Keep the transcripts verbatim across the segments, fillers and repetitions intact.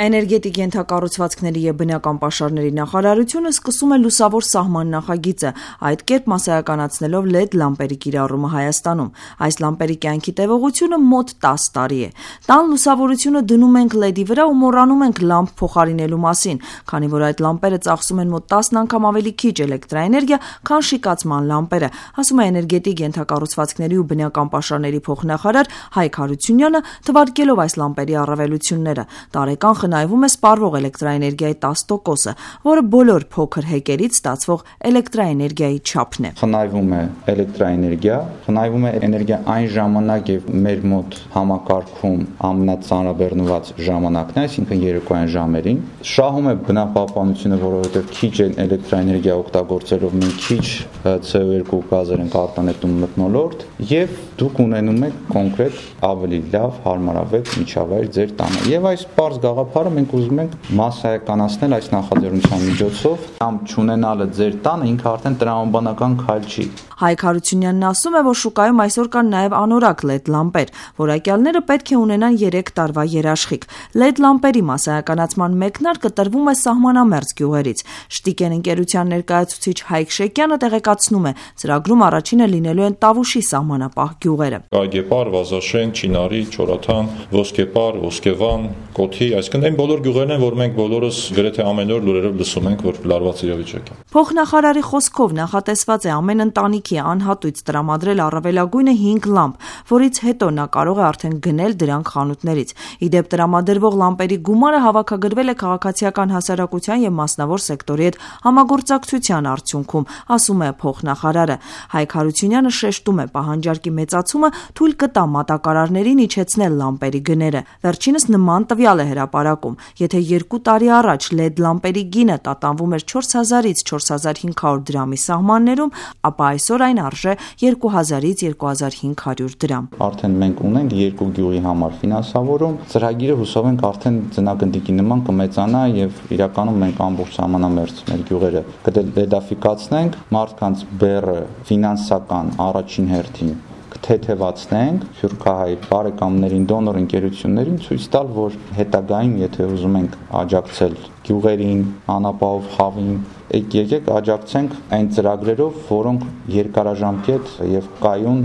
Էներգետիկ ենթակառուցվածքների և բնական պաշարների նախարարությունը սկսում է լուսավոր սահման նախագիծը, այդ կերպ մասսայականացնելով լեդ լամպերի կիրառումը Հայաստանում։ Այս լամպերի կյանքի տևողությունը մոտ տասը տարի է։ Տան լուսավորությունը դնում ենք լեդի վրա ու մոռանում ենք լամպ փոխարինելու մասին, քանի որ այդ լամպերը ծախսում են մոտ տասն անգամ ավելի քիչ էլեկտրաէներգիա, քան շիկացման լամպերը, ասում է էներգետիկ ենթակառուցվածքների ու բնական պաշարների փոխնախարար Հայկ Հարությունյանը, թվարկելով այս լամպերի առավելությունները։ Տարեկան խնայվում է սպառվող էլեկտրաէներգիայի տասը տոկոսը, որը բոլոր փոքր հեկերից ստացվող էլեկտրաէներգիայի չափն է։ Խնայվում է էլեկտրաէներգիա, խնայվում է էներգիա այն ժամանակ եւ մեր մոտ համակարգում ամենածանրաբեռնված ժամանակն է, այսինքն երեկոյան ժամերին։ Շահում է բնապահպանությունը, որովհետեւ քիչ էլեկտրաէներգիա օգտագործելով մենք քիչ C O two գազեր ենք արտանետում մթնոլորտ եւ դուք ունենում եք կոնկրետ ավելի լավ, հարմարավետ միջավայր ձեր տանը։ Եվ այս պարզ գաղափարը մենք ուզում ենք մասսայականացնել այս նախաձեռնության միջոցով, կամ չունենալը ձեր տանը ինքը արդեն տրամաբանական քայլ չի։ Հայկ Հարությունյանն ասում է, որ շուկայում այսօր կան նաև անորակ լեդ լամպեր, որակյալները պետք է ունենան երեք տարվա երաշխիք։ Լեդ լամպերի մասսայականացման մեկնարկը տրվում է սահմանամերձ գյուղերից։ Շտիկեն ընկերության ներկայացուցիչ Հայկ Շեկյանը տեղեկացնում է, ծրագրում առաջինը լինելու են Տավուշի սահմանապահ գյուղերը։ Գայգեպար, Վազաշեն, Չինարի, Չորաթան, Ոսկեպար, Ոսկեվան, Կոթի, այսինքն այն բոլոր գյուղերն են, որ մենք բոլորս գրեթե ամեն օր լուրերով լսում ենք, որ լարված իրավիճակ է։ Փոխնախարարի խոսքով նախատեսված է ամեն ընտանիքի անհատույց տրամադրել առավելագույնը հինգ լամպ, որից հետո նա կարող է արդեն գնել դրանք խանութներից։ Իդեպ տրամադրվող լամպերի գումարը հավաքագրվել է քաղաքացիական հասարակության եւ մասնավոր սեկտորի հետ համագործակցության արդյունքում, ասում է փոխնախարարը։ Հայկ Հարությունյանը շեշտում է, պահանջարկի մեծացումը թույլ կտա մատակարարներին իջեցնել լամպերի գները։ Վերջինս նման տվյալ է հրապարակում։ Եթե երկու տարի առաջ լեդ լամպերի գինը տատանվում էր չորս հազարից չորս հազար հինգ հարյուր դրամի սահմաններում, ապա այսօր այն արժե երկու հազարից երկու հազար հինգ հարյուր դրամ։ Արդեն մենք ունենք երկու գյուղի համար ֆինանսավորում, ծրագիրը հուսով ենք արդեն ձնագնդիկի նման կմեծանա եւ իրականում մենք ամբողջ համանամերձ մեր գյուղերը կլեդաֆիկացնենք, մարդկանց բեռը ֆինանսական առաջին հերթին թեթևացնենք, սփյուռքահայ բարեկամներին, դոնոր ընկերություններին ցույց տալ, որ հետագայում, եթե ուզում ենք աջակցել գյուղերին, անապահով խավին, եկեք աջակցենք այն ծրագրերով, որոնք երկարաժամկետ եւ կայուն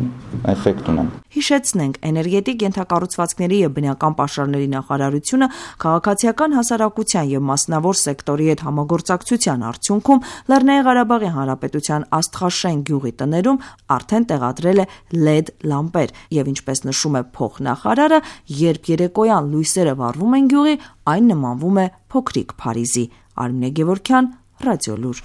էֆեկտ ունեն։ Հիշեցնենք, էներգետիկ ենթակառուցվածքների եւ բնական պաշարների նախարարությունը քաղաքացիական հասարակության եւ մասնավոր սեկտորի հետ համագործակցության արդյունքում Լեռնային Ղարաբաղի Հանրապետության Աստղաշեն գյուղի տներում արդեն տեղադրել է լեդ լամպեր եւ ինչպես նշում է փոխնախարարը, երբ երեկոյան լույսերը վառվում են գյուղի, այն նմանվում է փոքրիկ Փարիզի։ Արմինե Գևորգյան, Ռադիոլուր։